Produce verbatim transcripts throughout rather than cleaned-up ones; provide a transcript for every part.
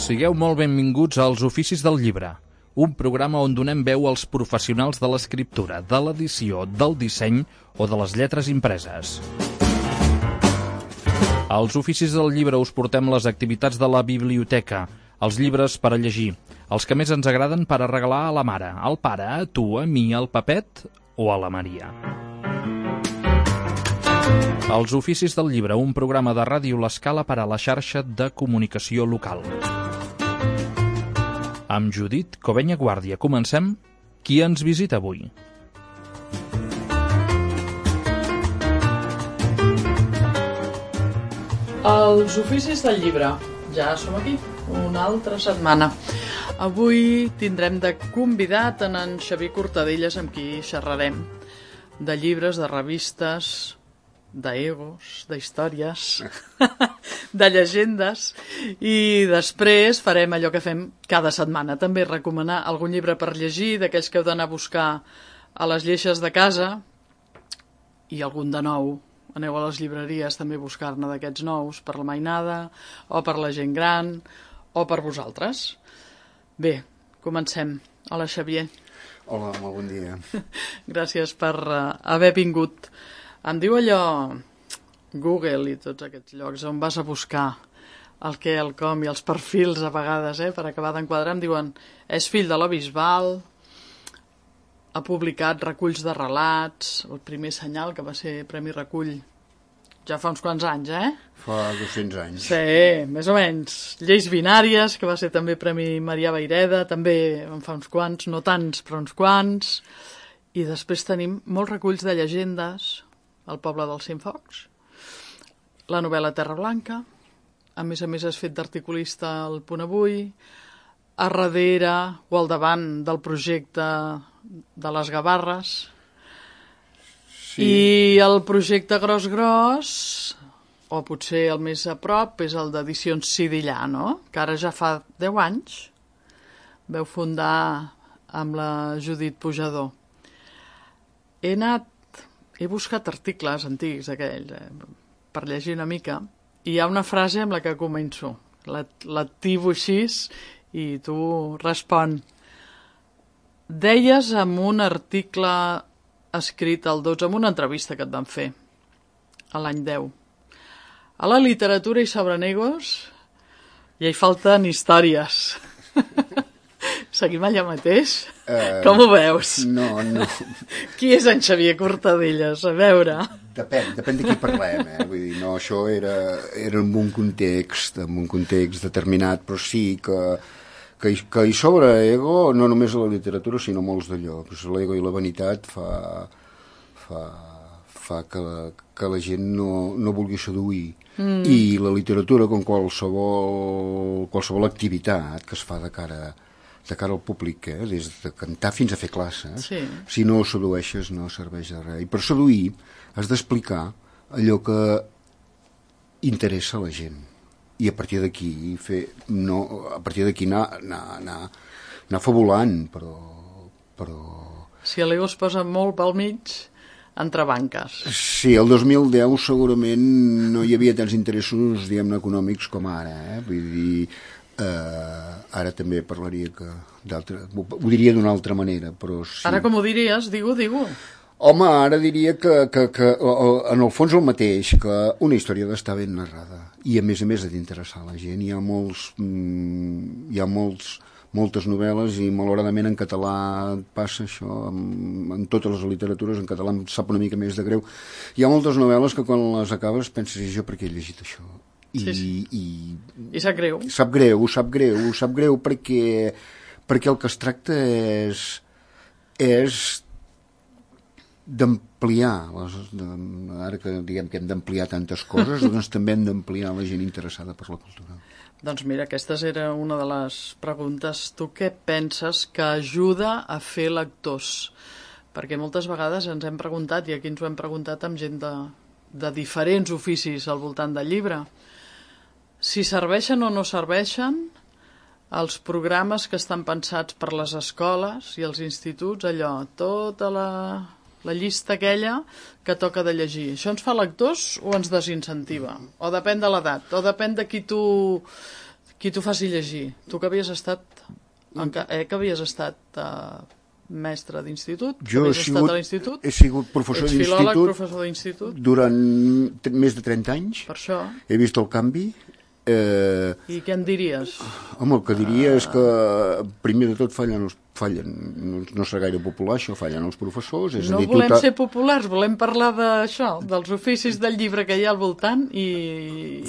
Sigueu molt benvinguts als Oficis del Llibre, un programa on donem veu als professionals de l'escriptura, de l'edició, del disseny o de les lletres impreses. Als Oficis del Llibre us portem les activitats de la biblioteca, els llibres per a llegir, els que més ens agraden per a regalar a la mare, al pare, a tu, a mi, al Pepet o a la Maria. Els Oficis del Llibre, un programa de Ràdio L'Escala per a la xarxa de comunicació local. Amb Judit Covenya Guàrdia comencem. Qui ens visita avui? Els Oficis del Llibre. Ja som aquí, una altra setmana. Avui tindrem de convidat en en Xavier Cortadellas, amb qui xerrarem de llibres, de revistes, d'egos, d'històries, de llegendes, i després farem allò que fem cada setmana, també recomanar algun llibre per llegir, d'aquells que heu d'anar a buscar a les lleixes de casa, i algun de nou. Aneu a les llibreries també a buscar-ne d'aquests nous per la mainada, o per la gent gran, o per vosaltres. Bé, comencem. Hola, Xavier. Hola, molt bon dia. Gràcies per uh, haver vingut. Em diu allò, Google i tots aquests llocs on vas a buscar el què, el com i els perfils a vegades, eh, per acabar d'enquadrar, em diuen, és fill de la Bisbal, ha publicat reculls de relats, el primer Senyal, que va ser Premi Recull, ja fa uns quants anys, eh? Fa dos-cents anys. Sí, més o menys. Lleis binàries, que va ser també Premi Marià Vayreda, també en fa uns quants, no tants, però uns quants. I després tenim molts reculls de llegendes, El poble dels Cienfocs, la novel·la Terra Blanca, a més a més has fet d'articulista al Punt Avui, a darrere o al davant del projecte de les Gavarres, sí. I el projecte Gros Gros, o potser el més a prop, és el d'Edicions Sidillà, no? Que ara ja fa deu anys veu fundar amb la Judit Pujador. He anat He buscat articles antics aquells, eh, per llegir una mica, i hi ha una frase amb la que començo. La, la tibo així i tu respon. Deies en un article escrit al dotze, en una entrevista que et van fer, a l'any deu. A la literatura i sobre negos ja hi falten històries. Seguim allà mateix? Uh, Com ho veus? No, no. Qui és en Xavier Cortadellas? A veure. Depèn, depèn de qui parlem, eh? Vull dir, no, això era, era en un context, en un context determinat, però sí que, que, que hi sobre ego, no només a la literatura, sinó molts d'allò. L'ego i la vanitat fa, fa, fa que, que la gent no, no vulgui seduir. Mm. I la literatura, com qualsevol, qualsevol activitat que es fa de cara de cara al públic, eh? Des de cantar fins a fer classes, sí. Si no sedueixes no serveix de res. I per seduir has d'explicar allò que interessa a la gent. I a partir d'aquí fer, no, a partir d'aquí anar, anar, anar, anar fabulant, però, però... Si l'ego es posa molt pel mig, entre banques. Sí, el dos mil deu segurament no hi havia tants interessos, diguem-ne, econòmics com ara, eh? Vull dir... Uh, ara també parlaria que d'altra, ho diria d'una altra manera, però sí. Ara com ho diries? Digue-ho, digue-ho. Home, ara diria que, que, que en el fons el mateix, que una història ha d'estar ben narrada i a més a més ha d'interessar la gent. Hi ha molts mm, hi ha molts, moltes novel·les i malauradament en català passa això, en, en totes les literatures en català em sap una mica més de greu. Hi ha moltes novel·les que quan les acabes penses, i jo per què he llegit això? I, sí, sí. i, I sap greu. Sap greu, sap greu, sap greu perquè, perquè el que es tracta és, és d'ampliar, les, de, ara que diguem que hem d'ampliar tantes coses, doncs també hem d'ampliar la gent interessada per la cultura. Doncs mira, aquesta era una de les preguntes. Tu què penses que ajuda a fer lectors? Perquè moltes vegades ens hem preguntat, i aquí ens ho hem preguntat amb gent de, de diferents oficis al voltant del llibre, si serveixen o no serveixen els programes que estan pensats per les escoles i els instituts, allò, tota la, la llista aquella que toca de llegir. Això ens fa lectors o ens desincentiva? O depèn de l'edat? O depèn de qui tu, qui t'ho faci llegir. Tu que havies estat, eh, que havies estat uh, mestre d'institut, que Jo he havies sigut, estat a l'institut, he sigut professor ets filòleg, d'institut professor d'institut, durant t- més de trenta anys. per això. He vist el canvi. Eh, I què en diries? home, el que diria és que primer de tot fallen els fallen, no, no serà gaire popular això, fallen els professors, és No a dir, volem tu ser populars, volem parlar d'això, dels oficis del llibre que hi ha al voltant i,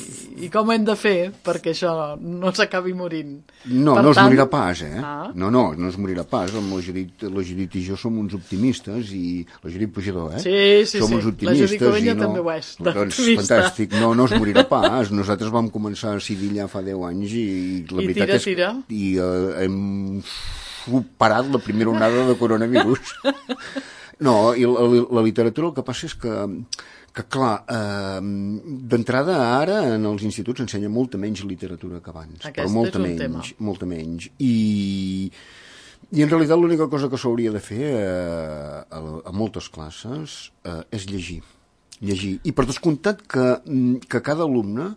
i com ho hem de fer perquè això no s'acabi morint. No, Per no es tant- morirà pas, eh? Ah. No, no, no es morirà pas. Amb la Judit, la Judit i jo som uns optimistes i... La Judit Pujador, eh? Sí, sí, som sí. uns La optimistes Judit Covella i no... també ho és, Doncs d'optimista. fantàstic. No, no es morirà pas. Nosaltres vam començar a Sidilla fa deu anys i la I veritat tira, és... tira. I eh, hem superat la primera onada de coronavirus. No, i la, la literatura el que passa és que que clar, eh, d'entrada ara en els instituts s'ensenya molta menys literatura que abans, Aquest però molta és un menys, tema. molta menys. I, i en realitat l'única cosa que s'hauria de fer eh, a, a moltes classes eh, és llegir. Llegir. I per descomptat que, que cada alumne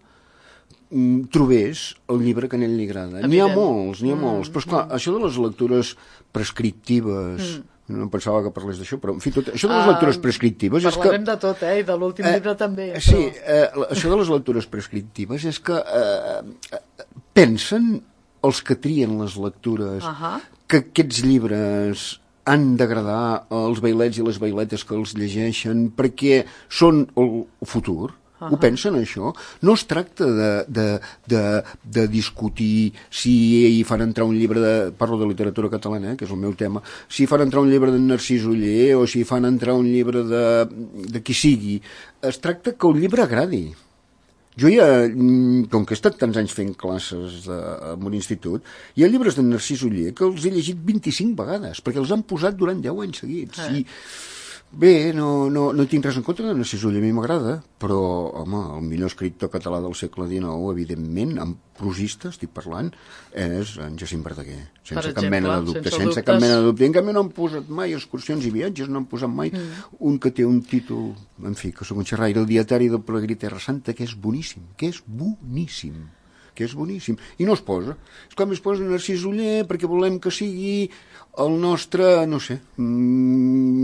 mm, trobés el llibre que a ell li agrada. N'hi ha Evident. molts, n'hi ha molts. Però esclar, això de les lectures prescriptives... No pensava que parlés d'això, però en fi, tot, això de les Ah, lectures prescriptives és que... Parlarem de tot, eh? I de l'últim llibre també. Eh, sí, eh, això de les lectures prescriptives és que eh, eh, pensen els que trien les lectures Ahà. que aquests llibres han d'agradar als bailets i les bailetes que els llegeixen perquè són el futur. Uh -huh. Ho pensen, això? No es tracta de, de, de, de discutir si hi fan entrar un llibre de... Parlo de literatura catalana, eh, que és el meu tema. Si fan entrar un llibre d'en Narcís Oller o si fan entrar un llibre de, de qui sigui. Es tracta que el llibre agradi. Jo ja, com que he estat tants anys fent classes de, en un institut, hi ha llibres d'en Narcís Oller que els he llegit vint-i-cinc vegades, perquè els han posat durant deu anys seguits. Eh. I bé, no, no, no tinc res en contra de Narcís Oller, a mi m'agrada, però, home, el millor escriptor català del segle dinou, evidentment, en prosista, estic parlant, és en Jacint Verdaguer, sense Per cap exemple, mena de dubte, sense sense, dubtes. cap mena de dubte. I en canvi no han posat mai excursions i viatges, no han posat mai mm. un que té un títol, en fi, que soc un xerraire, el dietari del Pelegrí Terra Santa, que és boníssim, que és boníssim. que és boníssim, i no es posa. És com es posa Narcís Oller perquè volem que sigui el nostre, no sé,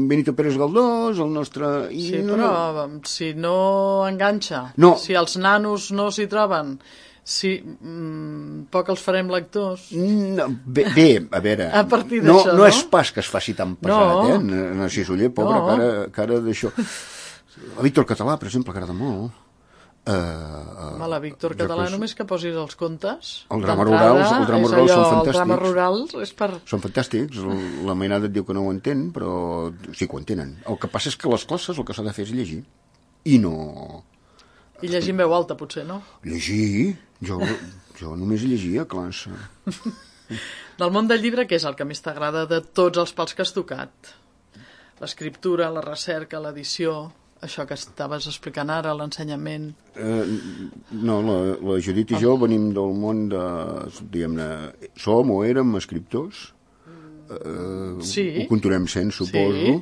Benito Pérez Galdós, el nostre... I Sí, no, però no. si no enganxa, No. si els nanos no s'hi troben, si mm, poc els farem lectors... No, bé, bé, a veure, A partir no, d'això, no no? és pas que es faci tan pesat, No. eh? Narcís Oller, pobre, No. cara, cara d'això. A Víctor Català, per exemple, agrada molt. Uh, Home, la Víctor Català, només que posis els contes... El drama d'entrada, rurals, el drama és rurals són allò, fantàstics. El drama rurals és per... Són fantàstics, la mainada et diu que no ho entén, però sí que ho entenen. El que passa és que les classes el que s'ha de fer és llegir. I no... I llegir en veu alta, potser, no? Llegir? Jo, jo només llegia a classe. Del món del llibre, què és el que més t'agrada de tots els pals que has tocat? L'escriptura, la recerca, l'edició... Això que estaves explicant ara, l'ensenyament... Eh, no, la, la Judit i jo venim del món de... Diguem-ne, som o érem escriptors. Eh, Sí. Ho continuem sent, suposo. Sí.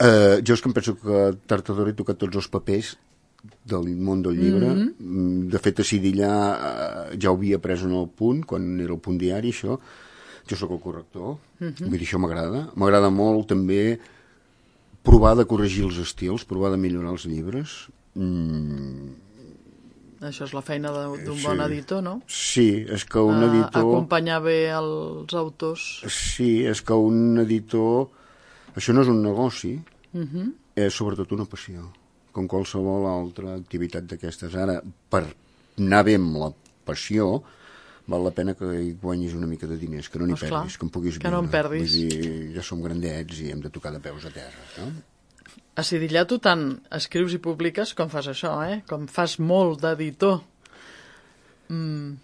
Eh, jo és que em penso que tard o d'hora he tocat tots els papers del món del llibre. Mm-hmm. De fet, a Sidillà eh, ja ho havia pres en el punt, quan era el punt diari, això. Jo sóc el corrector. Mm-hmm. Vull dir, això m'agrada. M'agrada molt, també, provar de corregir els estils, provar de millorar els llibres. Mm. Això és la feina de- d'un Sí. bon editor, no? Sí, és que un A- editor... Acompanyar bé els autors. Sí, és que un editor... Això no és un negoci, Uh-huh. és sobretot una passió, com qualsevol altra activitat d'aquestes. Ara, per anar bé amb la passió, val la pena que hi guanyis una mica de diners, que no n'hi Doncs clar, perdis, que en puguis que no en viure. perdis. Vull dir, ja som grandets i hem de tocar de peus a terra, no? A Sidillà tu tant escrius i publiques com fas això, eh? Com fas molt d'editor. Mm,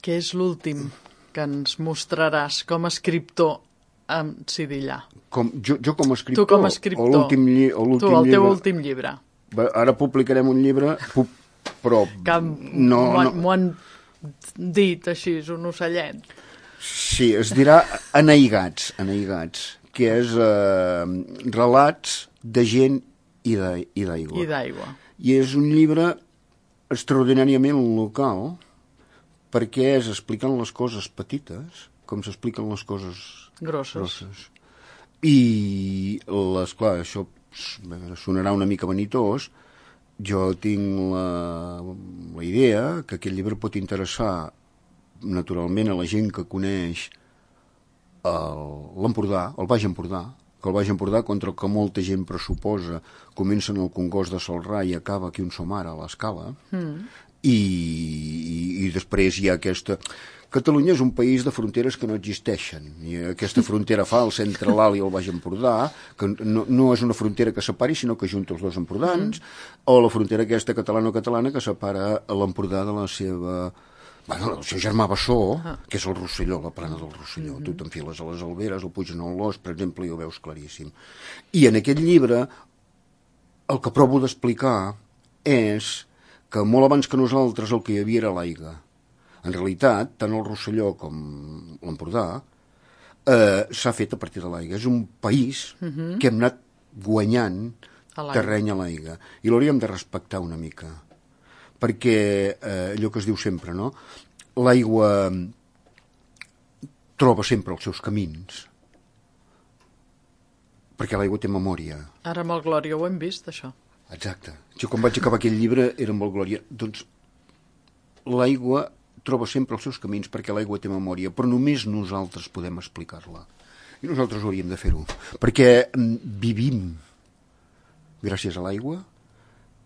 què és l'últim que ens mostraràs com a escriptor amb Sidillà? Com, jo, jo com a escriptor... Tu com a escriptor. O l'últim lli o Tu, l'últim el teu llibre... últim llibre. Va, ara publicarem un llibre, pu però... Que no, m'ho no, no. han dit així, és un ocellet. Sí, es dirà Aneigats, Aneigats, que és eh, relats de gent i d'aigua. I d'aigua. I és un llibre extraordinàriament local, perquè és explicant les coses petites com s'expliquen les coses grosses. grosses. I, les, clar, això sonarà una mica vanitós, jo tinc la, la idea que aquest llibre pot interessar naturalment a la gent que coneix l'Empordà, el Baix Empordà, que el Baix Empordà, contra el que molta gent pressuposa, comença en el Congost de Celrà i acaba aquí on som ara, a l'Escala, mm. i, i, i després hi ha aquesta... Catalunya és un país de fronteres que no existeixen. I aquesta frontera falsa entre l'Alt i el Baix Empordà, que no, no és una frontera que separi, sinó que junta els dos empordans, mm. o la frontera aquesta catalano-catalana que separa l'Empordà de la seva... Bueno, el seu germà Bessó, ah. que és el Rosselló, la plana del Rosselló. Mm-hmm. Tu t'enfiles a les Alberes, el Puigneròs, per exemple, i ho veus claríssim. I en aquest llibre el que provo d'explicar és que molt abans que nosaltres el que hi havia era l'aigua. En realitat, tant el Rosselló com l'Empordà eh, s'ha fet a partir de l'aigua. És un país mm-hmm. que hem anat guanyant a terreny a l'aigua. I l'hauríem de respectar una mica. Perquè eh, allò que es diu sempre, no? L'aigua troba sempre els seus camins. Perquè l'aigua té memòria. Ara amb el Glòria ho hem vist, això. Exacte. Jo quan vaig acabar aquell llibre era amb el Glòria. Doncs l'aigua troba sempre els seus camins perquè l'aigua té memòria, però només nosaltres podem explicar-la. I nosaltres hauríem de fer-ho. Perquè vivim gràcies a l'aigua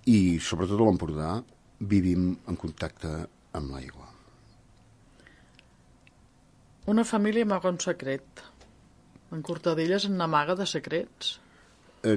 i, sobretot a l'Empordà, vivim en contacte amb l'aigua. Una família amaga un secret. En Cortadelles n'amaga de secrets. Eh,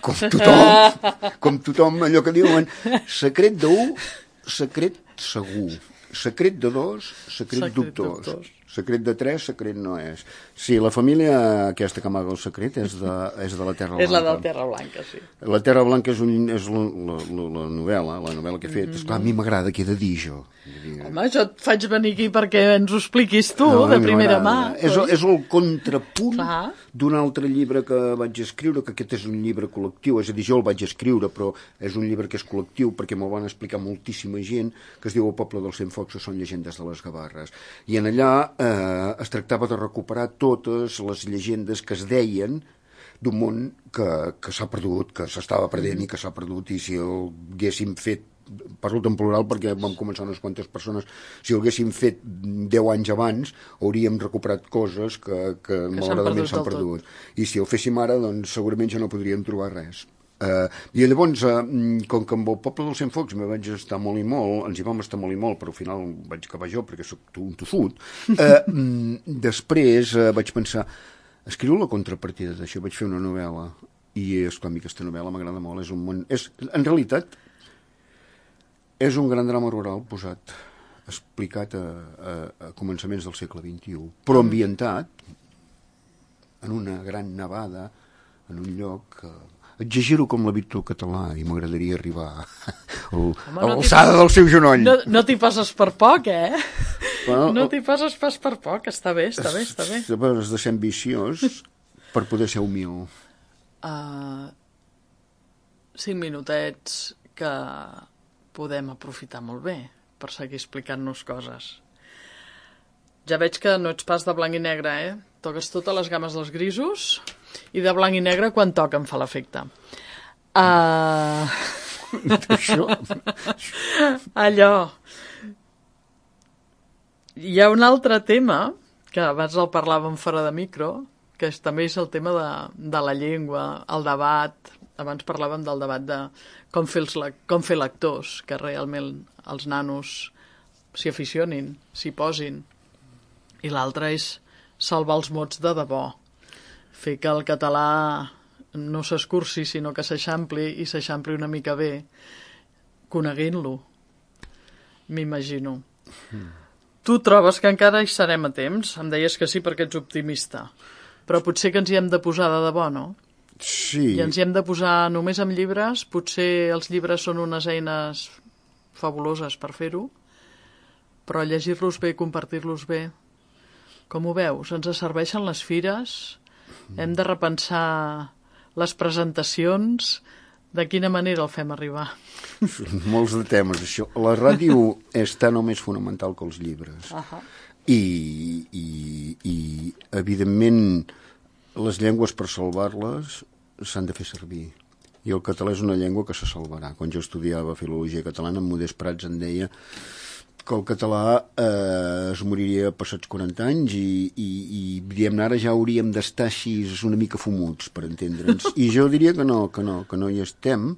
com tothom, com tothom, allò que diuen, secret d'un, secret segur. Secret de dos, secret, secret dubtós. dubtós. Secret de tres, secret no és. Sí, la família aquesta que amaga el secret és de, és de la Terra Blanca. És la de la Terra Blanca, sí. La Terra Blanca és, un, és la, la, la, la novel·la, la novel·la que he fet. Mm-hmm. Esclar, a mi m'agrada que he de dir jo. Home, jo et faig venir aquí perquè ens ho expliquis tu, no, de primera mà. És, és el contrapunt d'un altre llibre que vaig escriure, que aquest és un llibre col·lectiu, és a dir, jo el vaig escriure, però és un llibre que és col·lectiu perquè m'ho van explicar moltíssima gent, que es diu El poble dels cent focs, que són llegendes de les Gavarres. I en allà eh, es tractava de recuperar totes les llegendes que es deien d'un món que, que s'ha perdut, que s'estava perdent i que s'ha perdut, i si el haguéssim fet, parlo en plural perquè vam començar unes quantes persones, si ho haguéssim fet deu anys abans, hauríem recuperat coses que, que, que malauradament s'han perdut. I si ho féssim ara, doncs segurament ja no podríem trobar res. Uh, I llavors, uh, com que amb el poble dels cent focs me vaig estar molt i molt, ens hi vam estar molt i molt, però al final vaig acabar jo perquè soc un tossut, uh, després uh, vaig pensar, escriu la contrapartida d'això, vaig fer una novel·la, i esclar, a mi aquesta novel·la m'agrada molt, és un món... És, en realitat, és un gran drama rural posat, explicat a, a, a començaments del segle vint-i-u, però ambientat en una gran nevada, en un lloc... Uh, exagero com la Víctor Català i m'agradaria arribar al, a l'alçada del seu genoll. No, no t'hi passes per poc, eh? Bueno, no t'hi passes pas per poc, està bé, està bé, està bé. Has de ser ambiciós per poder ser humil. Uh, cinc minutets que podem aprofitar molt bé per seguir explicant-nos coses. Ja veig que no ets pas de blanc i negre, eh? Toques totes les games dels grisos i de blanc i negre quan toca em fa l'efecte. Uh... Això... Allò... Hi ha un altre tema, que abans el parlàvem fora de micro, que és, també és el tema de, de la llengua, el debat. Abans parlàvem del debat de com fer, els, com fer lectors, que realment els nanos s'hi aficionin, s'hi posin. I l'altre és salvar els mots de debò, fer que el català no s'escurci, sinó que s'eixampli i s'eixampli una mica bé, coneguent-lo, m'imagino. Mm. Tu trobes que encara hi serem a temps? Em deies que sí perquè ets optimista, però potser que ens hi hem de posar de debò, no? Sí. I ens hi hem de posar només amb llibres, potser els llibres són unes eines fabuloses per fer-ho, però llegir-los bé, compartir-los bé, com ho veus? Ens serveixen les fires? Hem de repensar les presentacions? De quina manera el fem arribar? Molts de temes, això. La ràdio és tan o més fonamental que els llibres. Uh-huh. I, i, i, evidentment, les llengües per salvar-les s'han de fer servir. I el català és una llengua que se salvarà. Quan jo estudiava filologia catalana, en Modest Prats em deia que el català eh, es moriria passats quaranta anys i, i, i diguem-ne, ara ja hauríem d'estar així una mica fumuts, per entendre'ns. I jo diria que no, que no, que no hi estem,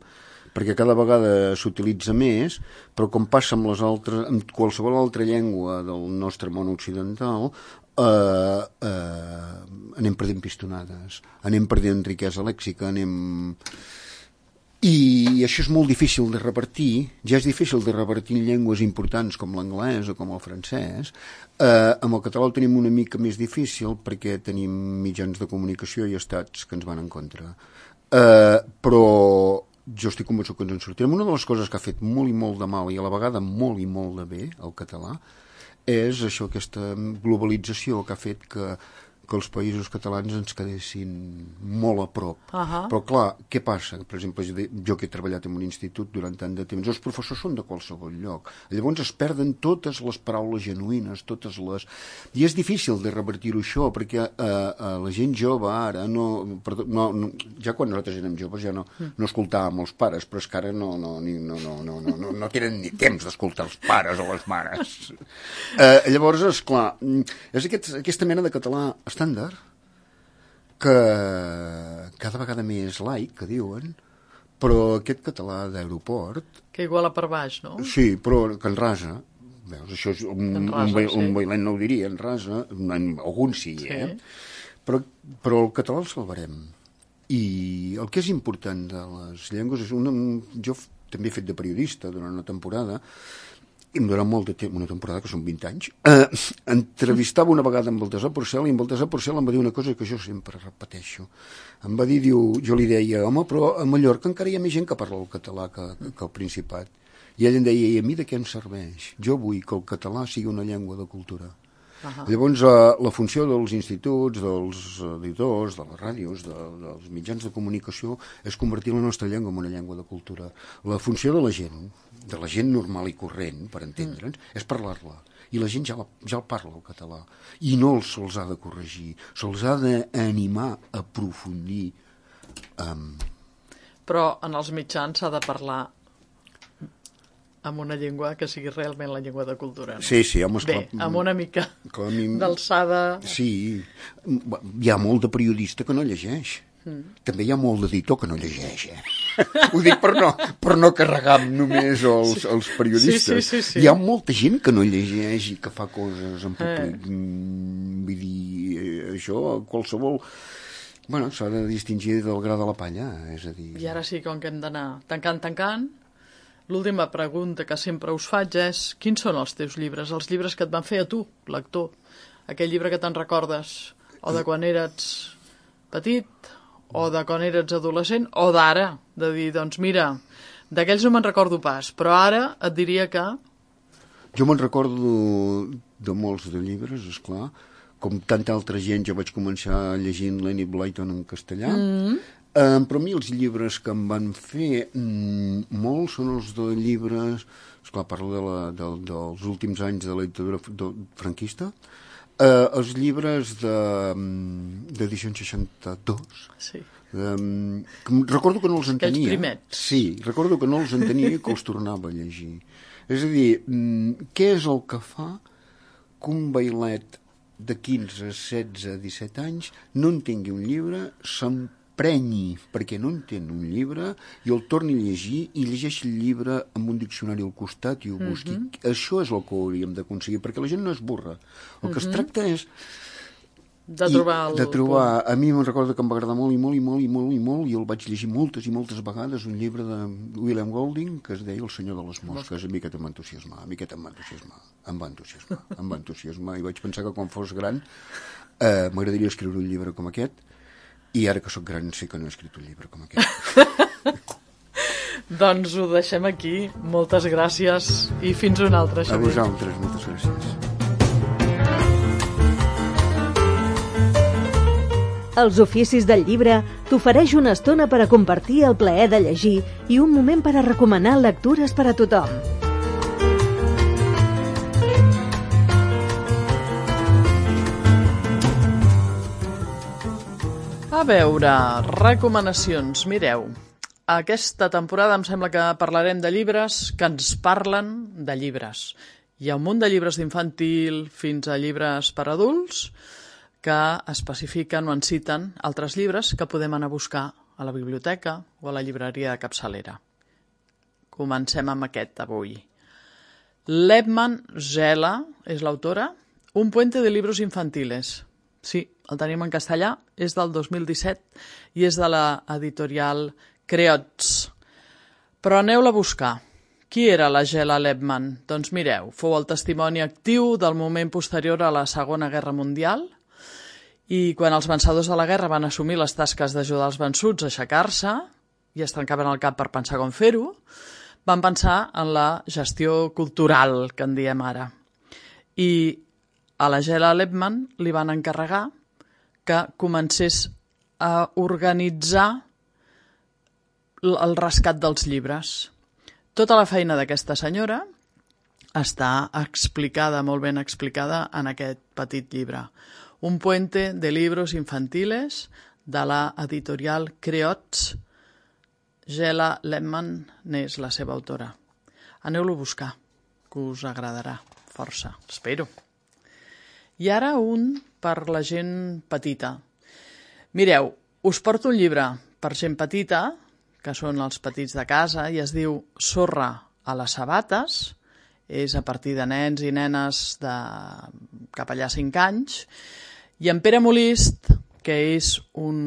perquè cada vegada s'utilitza més, però com passa amb les altres, amb qualsevol altra llengua del nostre món occidental, eh, eh, anem perdent pistonades, anem perdent riquesa lèxica, anem... I això és molt difícil de repartir, ja és difícil de repartir en llengües importants com l'anglès o com el francès. Eh, amb el català ho tenim una mica més difícil perquè tenim mitjans de comunicació i estats que ens van en contra. Eh, però jo estic convençut que ens en sortirem. Una de les coses que ha fet molt i molt de mal i a la vegada molt i molt de bé el català és això, aquesta globalització que ha fet que que els països catalans ens quedessin molt a prop. Uh-huh. Però clar, què passa? Per exemple, jo que he treballat en un institut durant tant de temps, els professors són de qualsevol lloc. Llavors es perden totes les paraules genuïnes, totes les... I és difícil de revertir-ho això, perquè eh, eh, la gent jove ara, no, perdó, no, no, ja quan nosaltres érem joves ja no, no escoltàvem els pares, però és que ara no, no, no, no, no, no, no, no tenen ni temps d'escoltar els pares o les mares. Eh, llavors, esclar, és aquest, aquesta mena de català estàndard, que cada vegada més laic, que diuen, però aquest català d'aeroport... Que iguala per baix, no? Sí, però que en rasa. Veus, això és un, rasa, un, sí. un bailet no ho diria, en rasa, en, alguns sí, sí. eh? Però, però el català el salvarem. I el que és important de les llengües és una... Jo també he fet de periodista durant una temporada, i em donava molt de temps, una temporada que són vint anys, eh, entrevistava una vegada amb Baltasar Porcel, i en Baltasar Porcel em va dir una cosa que jo sempre repeteixo. Em va dir, diu, jo li deia, home, però a Mallorca encara hi ha més gent que parla el català que, que el Principat. I ell em deia, i a mi de què em serveix? Jo vull que el català sigui una llengua de cultura. Uh-huh. Llavors, eh, la funció dels instituts, dels editors, de les ràdios, de, dels mitjans de comunicació, és convertir la nostra llengua en una llengua de cultura. La funció de la gent, de la gent normal i corrent, per entendre'ns, mm. és parlar-la. I la gent ja, la, ja el parla, el català. I no se'ls ha de corregir, se'ls ha d'animar a aprofundir. Um... Però en els mitjans s'ha de parlar amb una llengua que sigui realment la llengua de cultura. No? Sí, sí, home, Bé, esclar, amb una mica mi... d'alçada... Sí, hi ha molt de periodista que no llegeix. Mm. També hi ha molt d'editor que no llegeix, eh? Ho dic per no, per no carregar només els, sí. els periodistes. Sí, sí, sí, sí. Hi ha molta gent que no llegeix i que fa coses en públic. Eh. Vull dir, això, qualsevol... Bueno, s'ha de distingir del gra de la palla, és a dir... I ara sí, com que hem d'anar tancant, tancant... L'última pregunta que sempre us faig és quins són els teus llibres, els llibres que et van fer a tu, lector? Aquell llibre que te'n recordes o de quan eres petit o de quan eres adolescent o d'ara, de dir, doncs mira, d'aquells no me'n recordo pas, però ara et diria que... Jo me'n recordo de molts de llibres, esclar, com tanta altra gent jo vaig començar llegint Lenny Blyton en castellà, mm. Um, però a mi els llibres que em van fer mm, molts són els de llibres, esclar, parlo de la, de, dels últims anys de la dictadura franquista, uh, els llibres d'edició seixanta-dos, sí. um, que recordo que no els entenia. Aquells primets. Sí, recordo que no els entenia i que els tornava a llegir. És a dir, mm, què és el que fa que un bailet de quinze, setze, disset anys no entengui un llibre, se'n prenyi perquè no entén un llibre i el torni a llegir i llegeixi el llibre amb un diccionari al costat i ho busqui. Mm-hmm. Això és el que hauríem d'aconseguir, perquè la gent no és burra. El mm-hmm. que es tracta és... De trobar el... De trobar... A mi me'n recordo que em va agradar molt i molt i molt i molt i molt i el vaig llegir moltes i moltes vegades, un llibre de William Golding que es deia El senyor de les mosques. A mi aquest em va entusiasmar, a mi aquest em va entusiasmar, em va entusiasmar, em va entusiasmar i vaig pensar que quan fos gran eh, m'agradaria escriure un llibre com aquest. I ara que sóc gran sé que no he escrit un llibre com aquest. Doncs ho deixem aquí. Moltes gràcies i fins una altra, Xavier. A vosaltres, moltes gràcies. Els Oficis del Llibre t'ofereix una estona per a compartir el plaer de llegir i un moment per a recomanar lectures per a tothom. A veure, recomanacions. Mireu, aquesta temporada em sembla que parlarem de llibres que ens parlen de llibres. Hi ha un munt de llibres d'infantil fins a llibres per adults que especifiquen o en citen altres llibres que podem anar a buscar a la biblioteca o a la llibreria de capçalera. Comencem amb aquest avui. Lebman Zela és l'autora, Un puente de libros infantiles. Sí, el tenim en castellà, és del dos mil disset i és de la editorial Creots. Però aneu-la a buscar. Qui era la Zela Lebman? Doncs mireu, fou el testimoni actiu del moment posterior a la Segona Guerra Mundial i quan els vencedors de la guerra van assumir les tasques d'ajudar els vençuts a aixecar-se i es trencaven el cap per pensar com fer-ho, van pensar en la gestió cultural, que en diem ara. I a la Zela Lebman li van encarregar que comencés a organitzar el rescat dels llibres. Tota la feina d'aquesta senyora està explicada, molt ben explicada, en aquest petit llibre. Un puente de libros infantiles de la editorial Creots. Zela Lebman n'és la seva autora. Aneu-lo a buscar, que us agradarà força, espero. I ara un per la gent petita. Mireu, us porto un llibre per gent petita, que són els petits de casa, i es diu Sorra a les sabates, és a partir de nens i nenes de cap allà cinc anys, i en Pere Molist, que és un,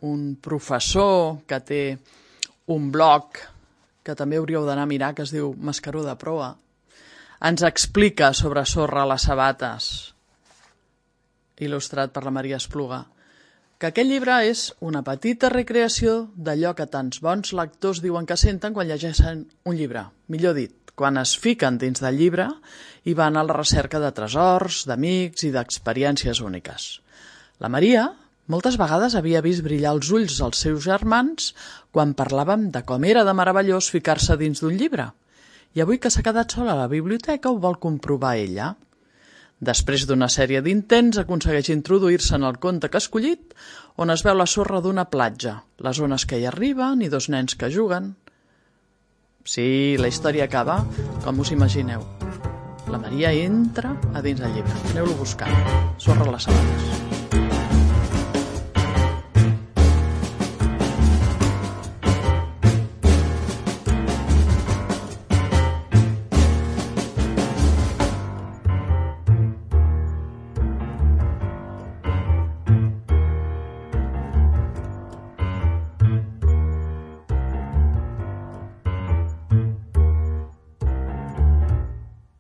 un professor que té un blog que també hauríeu d'anar a mirar, que es diu Mascaró de proa, ens explica sobre Sorra a les sabates, il·lustrat per la Maria Espluga, que aquest llibre és una petita recreació d'allò que tants bons lectors diuen que senten quan llegeixen un llibre. Millor dit, quan es fiquen dins del llibre i van a la recerca de tresors, d'amics i d'experiències úniques. La Maria moltes vegades havia vist brillar els ulls dels seus germans quan parlàvem de com era de meravellós ficar-se dins d'un llibre. I avui que s'ha quedat sola a la biblioteca ho vol comprovar ella. Després d'una sèrie d'intents aconsegueix introduir-se en el conte que ha escollit, on es veu la sorra d'una platja, les ones que hi arriben i dos nens que juguen. Sí, la història acaba com us imagineu. La Maria entra a dins del llibre. Aneu-lo a buscar. Sorra a les sabates.